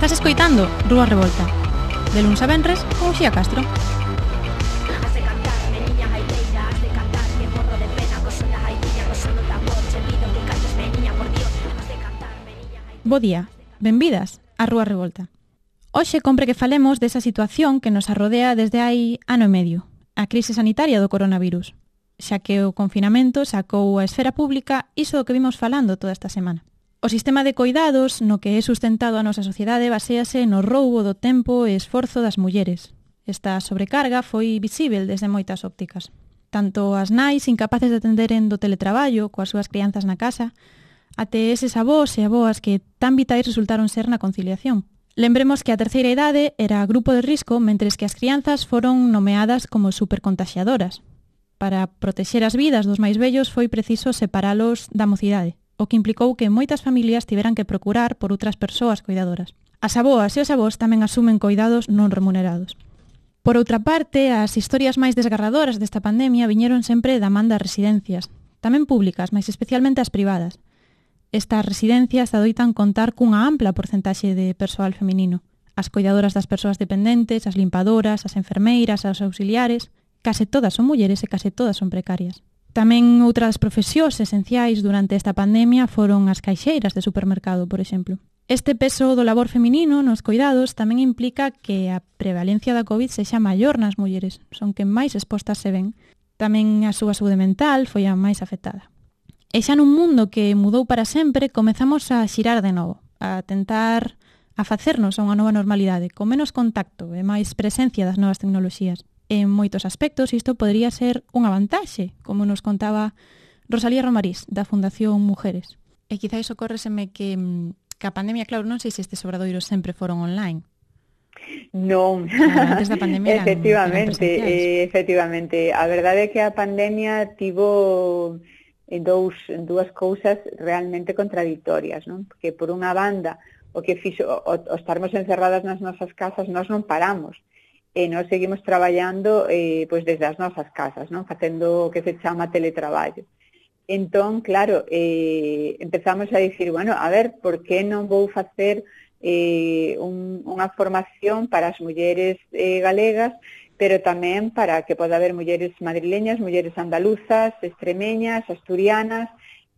Estás escoitando Rúa Revolta, de luns a venres con Uxía Castro. Bo día, benvidas a Rúa Revolta. Hoxe compre que falemos desa situación que nos arrodea desde hai ano e medio, a crise sanitaria do coronavirus, xa que o confinamento sacou a esfera pública iso do que vimos falando toda esta semana. O sistema de coidados no que é sustentado a nosa sociedade baséase no roubo do tempo e esforzo das mulleres. Esta sobrecarga foi visível desde moitas ópticas. Tanto as nais incapaces de atenderen do teletraballo coas súas crianzas na casa, até eses avós e aboas que tan vitais resultaron ser na conciliación. Lembremos que a terceira idade era grupo de risco, mentres que as crianzas foron nomeadas como supercontaxiadoras. Para protexer as vidas dos máis vellos foi preciso separalos da mocidade, o que implicou que moitas familias tiveran que procurar por outras persoas cuidadoras. As aboas e os avós tamén asumen coidados non remunerados. Por outra parte, as historias máis desgarradoras desta pandemia viñeron sempre da man das residencias, tamén públicas, mais especialmente as privadas. Estas residencias adoitan contar cunha ampla porcentaxe de persoal feminino. As coidadoras das persoas dependentes, as limpadoras, as enfermeiras, as auxiliares, case todas son mulleres e case todas son precarias. Tamén outras profesións esenciais durante esta pandemia foron as caixeiras de supermercado, por exemplo. Este peso do labor feminino nos coidados tamén implica que a prevalencia da COVID sexa maior nas mulleres, son que máis expostas se ven. Tamén a súa saúde mental foi a máis afectada. E xa nun mundo que mudou para sempre, comezamos a xirar de novo, a tentar a facernos a unha nova normalidade, con menos contacto e máis presencia das novas tecnoloxías. En moitos aspectos isto podría ser unha vantaxe, como nos contaba Rosalía Romarís, da Fundación Mujeres. E quizás ocórreseme que a pandemia, claro, non sei se estes obradoiros sempre foron online. Non, antes da pandemia efectivamente. A verdade é que a pandemia tivo dúas cousas realmente contradictorias, non? Porque por unha banda, o que fixo o estarmos encerradas nas nosas casas, nós non paramos. E nós seguimos traballando pois desde as nosas casas, non? Facendo o que se chama teletraballo. Entón, claro, empezamos a dicir, bueno, a ver, por que non vou facer unha formación para as mulleres galegas, pero tamén para que poda haber mulleres madrileñas, mulleres andaluzas, extremeñas, asturianas,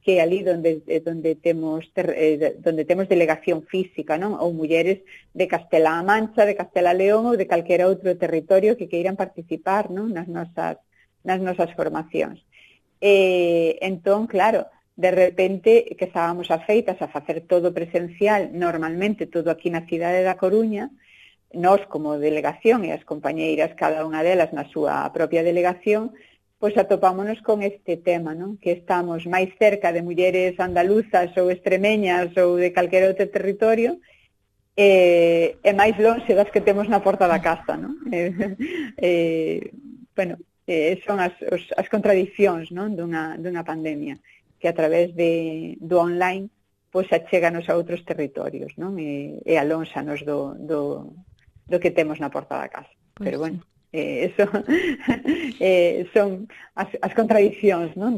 que ali onde temos delegación física, non? Ou mulleres de Castela-A Mancha, de Castela-León ou de calquera outro territorio que queiran participar, non? nas nosas formacións. Entón, claro, de repente que estábamos afeitas a facer todo presencial, normalmente todo aquí na cidade da Coruña, nós como delegación e as compañeiras, cada unha delas na súa propia delegación, pois atopámonos con este tema, non? Que estamos máis cerca de mulleres andaluzas ou extremeñas ou de calquera outro territorio e máis lonxe das que temos na porta da casa, non? Son as contradicións, non? dunha pandemia que a través do online pois achéganos a outros territorios, non? E alónxanos do que temos na porta da casa. Pues, pero bueno, eso son as contradicións, non?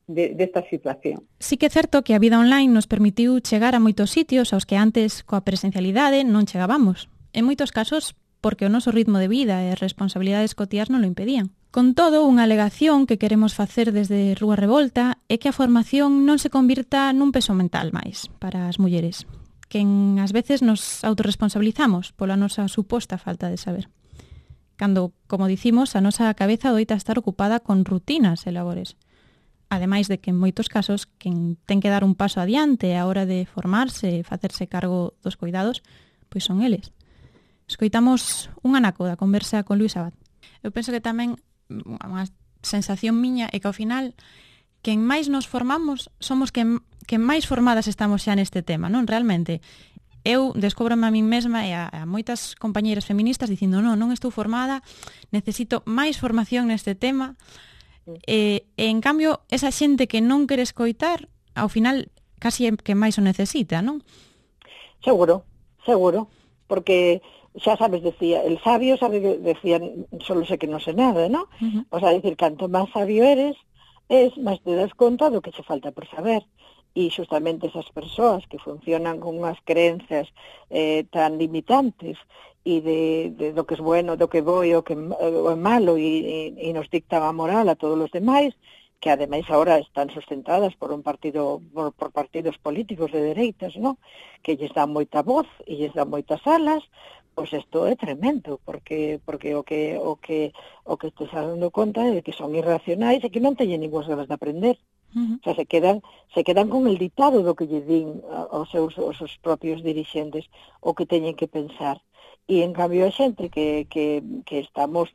Desta situación. Sí que é certo que a vida online nos permitiu chegar a moitos sitios aos que antes coa presencialidade non chegábamos. En moitos casos porque o noso ritmo de vida e as responsabilidades cotiás non lo impedían. Con todo, unha alegación que queremos facer desde Rúa Revolta é que a formación non se convirta nun peso mental máis para as mulleres, que ás veces nos autorresponsabilizamos pola nosa suposta falta de saber. Cando, como dicimos, a nosa cabeza doita estar ocupada con rutinas e labores. Ademais de que en moitos casos quen ten que dar un paso adiante á hora de formarse e facerse cargo dos coidados, pois son eles. Escoitamos un anaco da conversa con Luís Abad. Eu penso que tamén unha sensación miña é que ao final quen máis nos formamos somos quen máis formadas estamos xa neste tema, non? Realmente, eu descóbrome a min mesma e a moitas compañeiras feministas dicindo non estou formada, necesito máis formación neste tema e en cambio esa xente que non quere escoitar ao final casi é que máis o necesita, non? Seguro, porque xa sabes, decía, el sabio sabe que decía, solo sé que non sé nada, ¿no? O sea, decir, canto máis sabio eres, máis te das conta do que che falta por saber. e xustamente esas persoas que funcionan con unhas creencias tan limitantes e do que é bueno, do que é bo e o que é malo e nos dictan a moral a todos os demais, que ademais agora están sustentadas por por partidos políticos de dereitas, ¿no? Que lles dan moita voz e lles dan moitas alas, pois isto é tremendo, porque o que te estás dando conta é que son irracionais e que non teñen ningún ganas de aprender. O sea, se quedan con el dictado do que lle din aos seus propios dirixentes o que teñen que pensar. E en cambio a xente que estamos,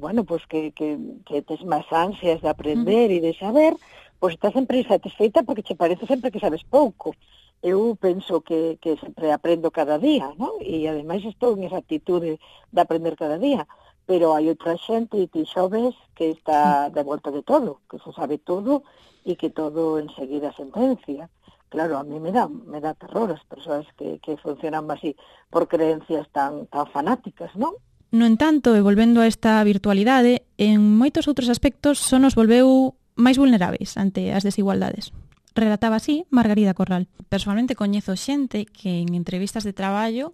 bueno, pues que tes máis ansias de aprender e de saber, pues estás sempre insatisfeita porque che parece sempre que sabes pouco. Eu penso que sempre aprendo cada día, ¿no? E ademais estou en esa actitude de aprender cada día, pero hai outra xente e ti xa ves que está de volta de todo, que se sabe todo e que todo enseguida sentencia. Claro, a mí me da terror as persoas que funcionan así por creencias tan fanáticas, non? No entanto, e volvendo a esta virtualidade, en moitos outros aspectos só nos volveu máis vulneráveis ante as desigualdades. Relataba así Margarida Corral. Personalmente coñezo xente que en entrevistas de traballo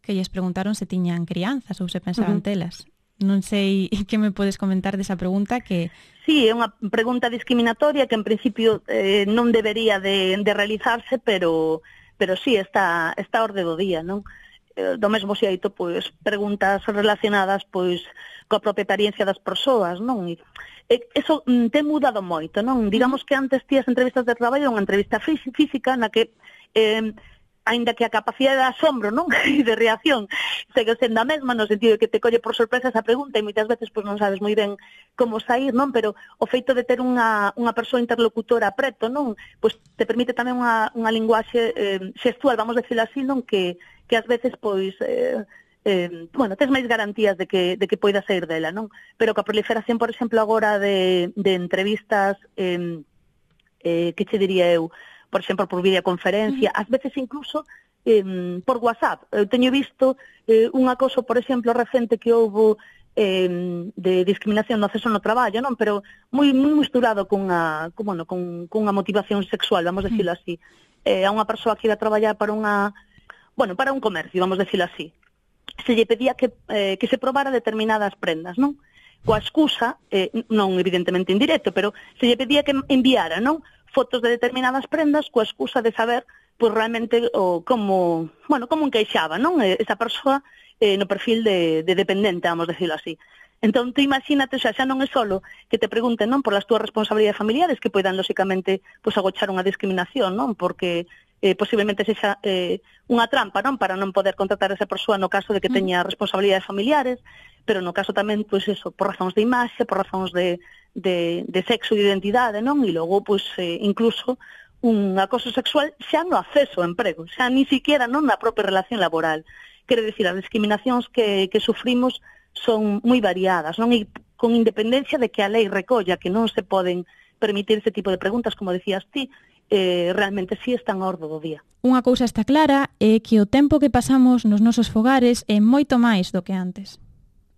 que lles preguntaron se tiñan crianzas ou se pensaban telas. Non sei que me podes comentar desa pregunta que... Sí, é unha pregunta discriminatoria que en principio non debería de realizarse, pero sí, está a orde do día, non? Do mesmo xeito, pois, preguntas relacionadas pois coa propia experiencia das persoas, non? E eso ten mudado moito, non? Digamos que antes tías entrevistas de traballo, unha entrevista física na que aínda que a capacidade de asombro, non? E de reacción segue sendo a mesma, no sentido de que te colle por sorpresa esa pregunta e moitas veces pois non sabes moi ben como sair, non? Pero o feito de ter unha persoa interlocutora preto, non? Pois te permite tamén unha linguaxe xestual, vamos decirlo así, non? Que ás veces pois bueno, tes máis garantías de que poida sair dela, non? Pero coa proliferación, por exemplo, agora de entrevistas que che diría eu, por exemplo, por videoconferencia, ás veces incluso por WhatsApp. Eu teño visto un acoso, por exemplo, recente que houbo de discriminación no acceso no traballo, non? Pero moi misturado cunha motivación sexual, vamos decirlo así. A unha persoa que iba a traballar para un comercio, vamos decirlo así. Se lle pedía que se probara determinadas prendas, non? Coa excusa, non evidentemente en directo, pero se lle pedía que enviara, non? Fotos de determinadas prendas coa excusa de saber pois realmente como encaixaba, non? Esa persoa no perfil de dependente, vamos decirlo así. Entón, tú imagínate, xa non é solo que te pregunten, non, por as túas responsabilidades familiares que poidan, lóxicamente, pois agochar unha discriminación, non? Porque posiblemente sexa unha trampa, non, para non poder contratar a esa persoa no caso de que teña responsabilidades familiares, pero no caso tamén, pois eso, por razóns de imaxe, por razóns de sexo e de identidade, non? E logo, pois, incluso un acoso sexual xa no acceso ao emprego, xa ni siquiera non na propia relación laboral. Quere dicir, as discriminacións que sufrimos son moi variadas, non? E con independencia de que a lei recolla que non se poden permitir ese tipo de preguntas, como decías ti, realmente sí están a orde do día. Unha cousa está clara é que o tempo que pasamos nos nosos fogares é moito máis do que antes.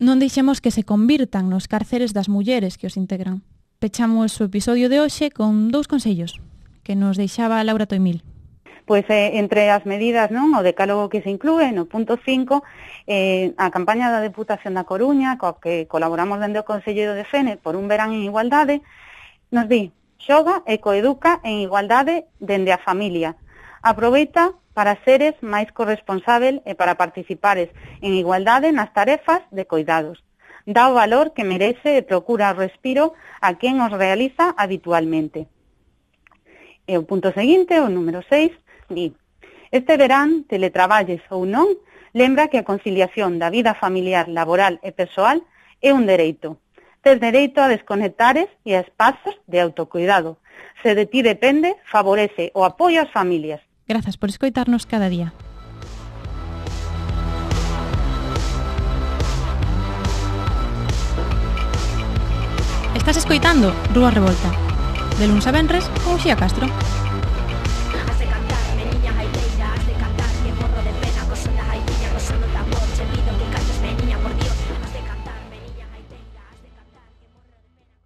Non deixemos que se convirtan nos cárceres das mulleres que os integran. Pechamos o episodio de hoxe con 2 consellos que nos deixaba Laura Toimil. Pois entre as medidas, non, o decálogo que se inclúe no punto 5, a campaña da Deputación da Coruña, coa que colaboramos dende o Consello de Fene por un verán en igualdade, nos di: xoga e coeduca en igualdade dende a familia. Aproveita para seres máis corresponsável e para participares en igualdade nas tarefas de coidados. Dá o valor que merece e procura o respiro a quen os realiza habitualmente. E o punto seguinte, o número 6, di: este verán, teletraballes ou non, lembra que a conciliación da vida familiar, laboral e persoal é un dereito. Tes dereito a desconectares e a espazos de autocuidado. Se de ti depende, favorece o apoio ás familias. Grazas por escoitarnos cada día. Estás escoitando Rúa Revolta, de luns a venres con Uxía Castro.